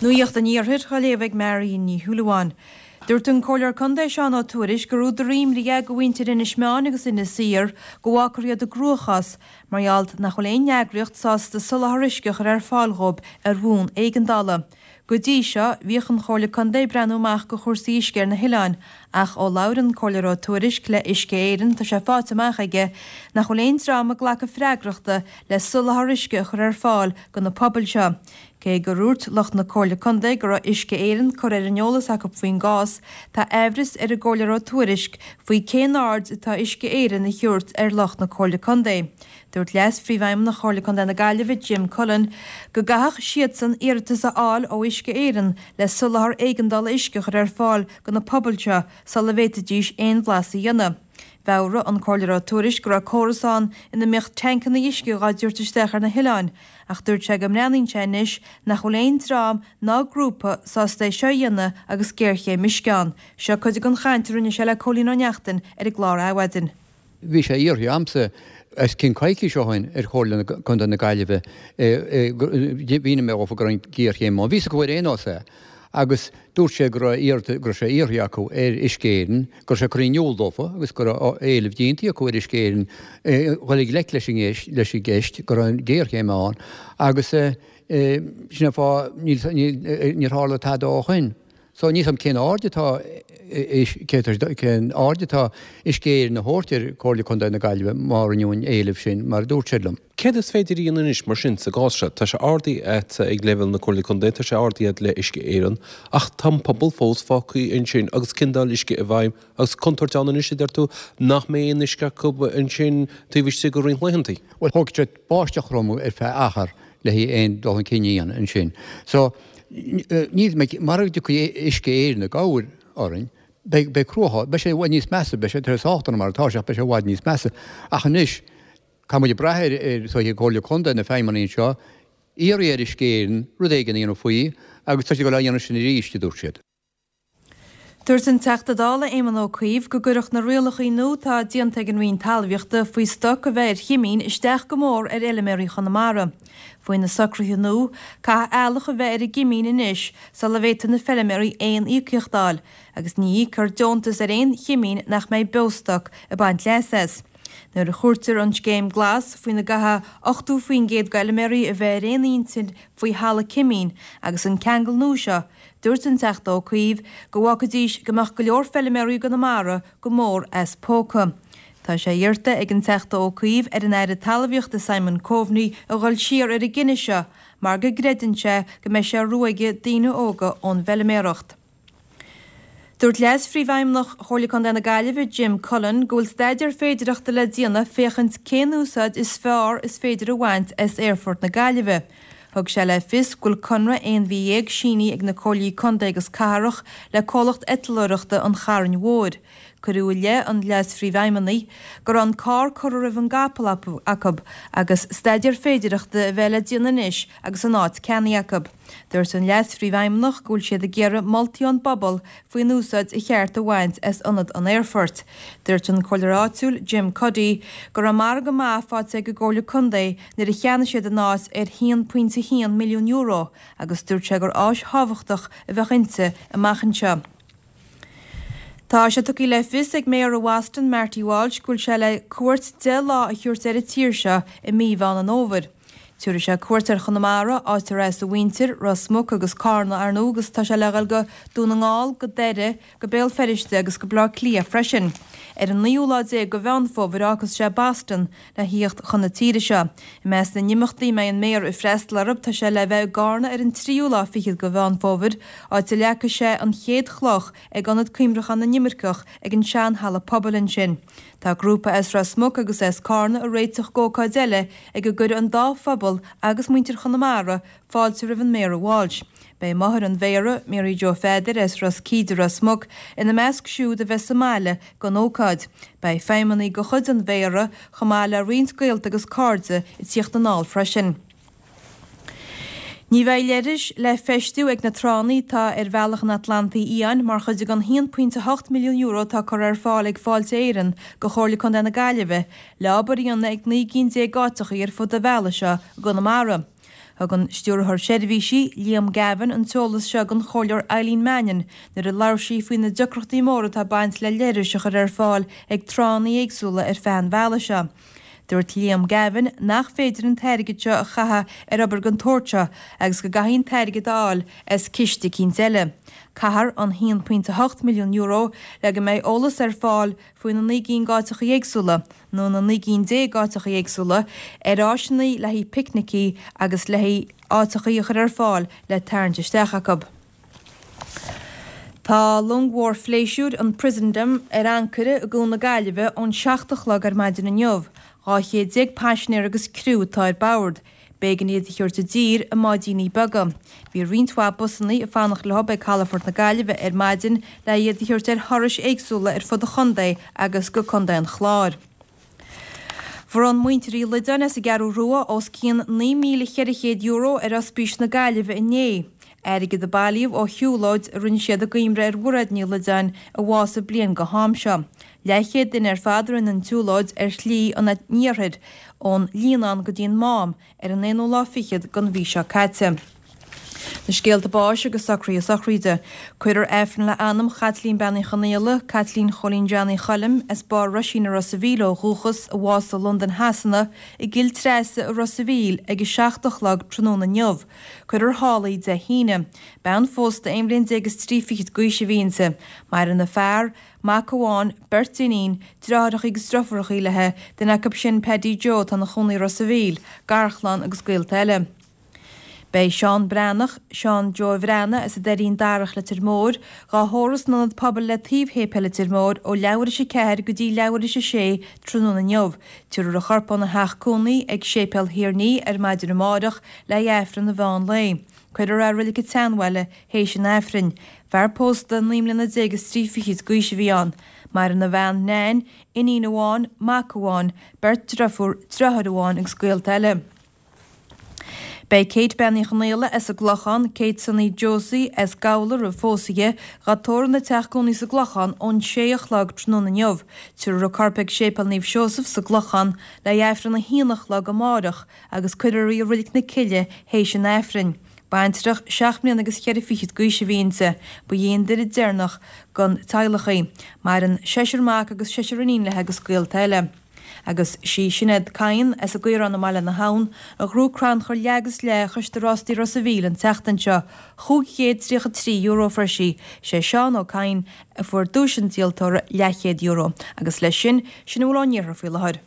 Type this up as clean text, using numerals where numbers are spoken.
Nuacht an Iarthair á léamh ag Marion Ní Shúilleabháin. Dúirt an Comhairleoir Contae Seán Ó Tuairisg gur údar imní é do mhuintir Inis Meáin agus Inis Oírr go bhfágfar iad i gcruachás mar gheall nach bhfuil aon eagraíocht sásta soláthar uisce a chur ar fáil dhóibh ar bhonn éigeandála. Go dtí seo, bhíodh an Chomhairle Contae ag breathnú amach go chúrsaí uisce ar na hoileáin, ach ó labhair an Comhairleoir Ó Tuairisg le Uisce Éireann tá sé faighte amach aige nach bhfuil aon dream ag glacadh freagrachta le soláthar uisce a chur ar fáil go na pobail seo. Cé gur dhúirt lucht na Comhairle Contae go raibh Uisce Éireann curtha ar an eolas acu faoin gcás, tá aimhreas ar an gComhairleoir Ó Tuairisg faoi cén aird atá Uisce Éireann a thabhairt ar lucht na Comhairle Contae. Dúirt Leas-Phríomhfheidhmeannach Chomhairle Contae na Gaillimhe, Jim Cullen, go gcaithfeadh siadsan iarratas a fháil ó Uisce Éireann le soláthar éigeandála uisce a chur ar fáil go na pobail seo sula bhféadfaidís aon bhlas a dhéanamh. Mheabhraigh an Comhairleoir Ó Tuairisg go raibh córas ann ina mbíodh tancanna uisce dhá dtabhairt isteach ar na hoileáin ach dúirt sé go mbreathnaíonn sé anois nach bhfuil aon dream ná grúpa sásta é seo a dhéanamh agus géarchéim uisce ann. Seo cuid den chaint a rinne sé le Cóilín Ó Neachtain ar an gclár Adhmhaidin. Bhí sé iarrtha a'msa os cionn coicís ó shin ar Chomhairle Contae na Gaillimhe, mhínigh mé dhófa go raibh an ghéarchéim ann, bhí 's acu ar aon nós é, agus dúirt sé go raibh go raibh sé iarrtha acu ar Uisce Éireann, go raibh sé curtha in iúl dófa agus go raibh éileamh déanta acu ar Uisce Éireann dhul i ngleic leis an leis an gceist, go raibh an ghéarchéim ann agus sin an fáth níor tharla tada ó shin. So níl 's a'm cén aird atá cén aird atá Uisce Éireann a thabhairt ar Chomhairle Contae na Gaillimhe má rinneadh an éileamh sin, mar a dúirt siad liom. Céard is féidir a dhéanamh anois mar sin sa gcás seo? Tá sé ardaithe a'dsa ag leibhéal na Comhairle Contae, tá sé ardaithe a'd le Uisce Éireann, ach tá an pobal fós fágtha ansin agus ciondáil uisce i bhfeidhm agus contúirt ann anois, a deir tú, nach mbeidh aon uisce acu ansin taobh istigh de roinnt laethanta. Bhuel, thógfadh sé báisteach throm ar feadh achar le haghaidh aon dul chun cinn a dhéanamh ansin. So, níl mé, mara dtiocfaidh Uisce Éireann i gcabhair orainn, beidh, beidh cruachás, beidh sé i bhfad níos measa, beidh sé, tá sé sách dona mar atá sé ach beidh sé i bhfad níos measa. Ach anois, caithfidh muid ag brath ar, ar, is dóiche, Comhairle Contae, na feidhmeannaigh anseo, iarraidh ar Uisce Éireann rud éigin a dhéanamh faoi agus tá siad ag dul á dhéanamh sin arís, a dúirt siad. Dúirt an Teachta Dála Éamon Ó Cuív go gcuirfeadh na rialacha nua atá déanta ag an Roinn Talmhaíochta faoi stoc a bheith ar chimín isteach go mór ar fheilméaraí Chonamara. Faoi na socruithe nua, caithfidh eallach a bheith ar an gcimín anois sula bhféadfaidh na feilméaraí aon íocaíocht a fháil, agus ní íocfar deontas ar aon chimín nach mbeidh beostoc ag baint leas as. Nuair a chuirtear an scéim glas, faoina gcaithfidh 80% d'fheilméaraí a bheith ar aon intinn faoi thalamh cimín, agus an ceangal nua seo, Dúirt an Teachta Ó Cuív go bhfágfaidís go mbeadh go leor feilméaraí i gConamara go mór as póca. Tá sé iarrta ag an Teachta Ó Cuív ar an Aire Talmhaíochta Simon Coveney a dhul siar ar an gcinneadh seo mar go gcreideann sé go mbeidh sé ag ruaigeadh daoine óga ón bhfeilméaracht. Dúirt Leas-Phríomhfheidhmeannach Chomhairle Contae na Gaillimhe, Jim Cullen, go bhfuil staidéar féidireachta le déanamh féachaint cén úsáid is fearr is féidir a bhaint as Aerfort na Gaillimhe. Thug sé le fios go bhfuil conradh 11 mhí sínithe ag na Comhairlí Contae agus Cathrach le comhlacht eitleoireachta an Chairn Mhóir. Cuireadh i leith an Leas-Phríomhfheidhmeannaigh go raibh an carr curtha roimh an gcapall acu agus staidéar féidireachta a bheith le déanamh anois agus an áit ceannaithe acu. Dúirt an Leas-Phríomhfheidhmeannach go bhfuil siad ag iarraidh moltaí ón bpobal faoin úsáid a cheart a bhaint as ionad an aerfoirt. Dúirt an comhairleoir áitiúil, Jim Cuddy, go raibh margadh maith faighte ag an gComhairle Contae nuair a cheannaigh siad an áit ar €1.1 milliún agus dúirt sé gur áis thábhachtach a bheadh inti amach anseo. Tá sé tugtha le fios ag Méara Bhoston, Marty Walsh, go bhfuil sé le cuairt 10 lá a thabhairt ar an tír seo i mí Mheán an Fhómhair. Tabharfaidh sé cuairt ar Chonamara, áit ar as a mhuintir, Ros Muc agus Cárna, ar ndóigh, agus tá sé le dhul go Dún na nGall, go Doire, go Béal Feirste agus go Baile Átha Cliath freisin. Ar an naoú lá déag de Mheán Fómhair fhágfas sé Boston le thíocht chun na tíre seo. I measc na n-imeachtaí a mbeidh an Méara ag freastal orthu tá sé le bheith i gCárna ar an tríú lá fichead de Mheán Fómhair, áit a leagfaidh sé an chéad chloch ag Ionad Cuimhneacháin na nImirceach ag an sean-halla pobail ansin. Tá grúpa as Ros Muc agus as Cárna ag réiteach d'ócáid eile ag a gcuirfidh an dá phobal agus muintir Chonamara fáilte roimh an Méara Walsh. Beidh máthair an Mhéara, Mary Joe Pheadair as Ros Cíde, Ros Muc, ina measc siúd a bheas sa mbaile don ócáid. Beidh feidhmeannaigh de chuid an Mhéara, chomh maith le roinnt gaolta agus cairde ag tíocht anall freisin. Ní bheidh leithris le feistiú ag na tránna atá ar Bhealach an Atlantaigh Fhiáin mar chuid den €1.8 milliún atá curtha ar fáil ag Fáilte Éireann do Chomhairle Contae na Gaillimhe le obair a dhéanamh ag 19 gcinn d'áiteachaí ar fud an bhealaigh seo i gConamara. Thug an Stiúrthóir Seirbhísí, Liam Gavin, an t-eolas seo don Chomhairleoir Eileen Mannion nuair a labhair sí faoi na deacrachtaí móra atá ag baint le leithris a chur ar fáil ag tránna éagsúla ar feadh an bhealaigh seo. Dúirt Liam Gavin nach féidir an t-airgead seo a chaitheamh ar obair den tsórt seo agus go gcaithfí an t-airgead a fháil as ciste eicínt eile. Caithfear an €1.8 milliún le go mbeidh eolas ar fáil faoi na 9 gcinn d'áiteachaí éagsúla, nó na 19 gcinn d'áiteachaí éagsúla, ar áiseanna le haghaidh picnicí agus le haghaidh áiteachaí a chur ar fáil le tarraingt isteach acu. Tá long mhór phléisiúir, an Prinsendam, ar ancaire i gCuan na Gaillimhe ón 7 a chlog ar maidin inniu. 12 chéad paisinéir agus criú atá ar bord. B'éigean iad a thabhairt i dtír i mbáidíní beaga. Bhí roinnt mhaith busannaí ag fanacht leo ag calafort na Gaillimhe ar maidin le iad a thabhairt ar thurais éagsúla ar fud an chontae agus go Contae an Chláir. Bhronn muintir Uí Loideáin as an gCeathrú Rua os cionn €9,400 ar Ospís na Gaillimhe inné. Airgead a bailíodh ó shiúlóid a rinne siad i gcuimhne ar Mhairéad Ní Loideáin a bhásaigh bliain go ham seo. Leathchéad duine ar fad a rinne an tsiúlóid ar Shlí an Iarthair ón Líonán go dtí an Mám ar an aonú lá fichead den mhí seo caite. Na scéalta báis agus socruithe sochraide. Cuirfear Aifreann le anam Chaitlín Bean Uí Chonaola, Caitlín Chóilín Johnny Choilm, as Barr Roisín i Ros a' Mhíl ó dhúchas, a bhásaigh i Londain Shasana, i gCill Treasa i Ros a' Mhíl ag 7 a chlog tráthnóna inniu. Cuirfear thall í Dé hAoine. Bean phósta aon bhliain déag is trí fichid d'aois a bhí inti. Maireann a fear, mac amháin, beirt iníon, deartháireachaí agus driofúrachaí léi, duine acu sin Paddy Joe atá ina chónaí i Ros a' Mhíl, garchlann agus gaolta eile. Beidh Seán Breathnach, Seán Joe Bhreathnaigh as an Doirín Darach Leitir Móir, dhá thórramh san Ionad Pobail le taobh Shéipéal Leitir Móir ó leathuair théis 4 go dtí leathuair théis 6 tráthnóna inniu. Tabharfar a chorp óna theach cónaí ag Séipéal Thír an Fhia ar maidin amárach le haghaidh Aifreann an mheán lae. Cuirfear é i Reilig an tSeanbhaile théis an Aifrinn. Fear pósta, 19 mbliana is trí fichid d'aois a bhí ann. Maireann a bhean Nan, iníon amháin, mac amháin, beirt driofúr, driotháir amháin agus gaolta eile. Beidh Kate Bean Uí Chonaola as an gClochán, Kate Sonny Josie as Gabhla roimh phósadh di, dhá tórramh ina teach cónaí sa gClochán ón sé a chlog tráthnóna inniu. Tabharfar a corp ag Séipéal Naomh Seosamh sa gClochán le haghaidh Aifreann a haon a chlog amárach agus cuirfear í i Reilig na Cille théis an Aifrinn. Baintreach seacht mbliana agus cheithre fichid d'aois a bhí inti. Ba í an duine deireanach den teaghlach í. Maireann seisear mac agus seisear iníon léi agus gaolta eile. Agus sí Sinéad Kyne as an gCaorán i mBaile na hAbhann a ghnóthaigh crannchur leath agus leath Choiste Rástaí Ros a' Mhíl an tseachtain seo, €533 a fuair sí. Sé Seán Ó Cadhain a fuair duais an díoltóra, leathchéad euro. Agus leis sin, sin a bhfuil ón iarthar faoi láthair.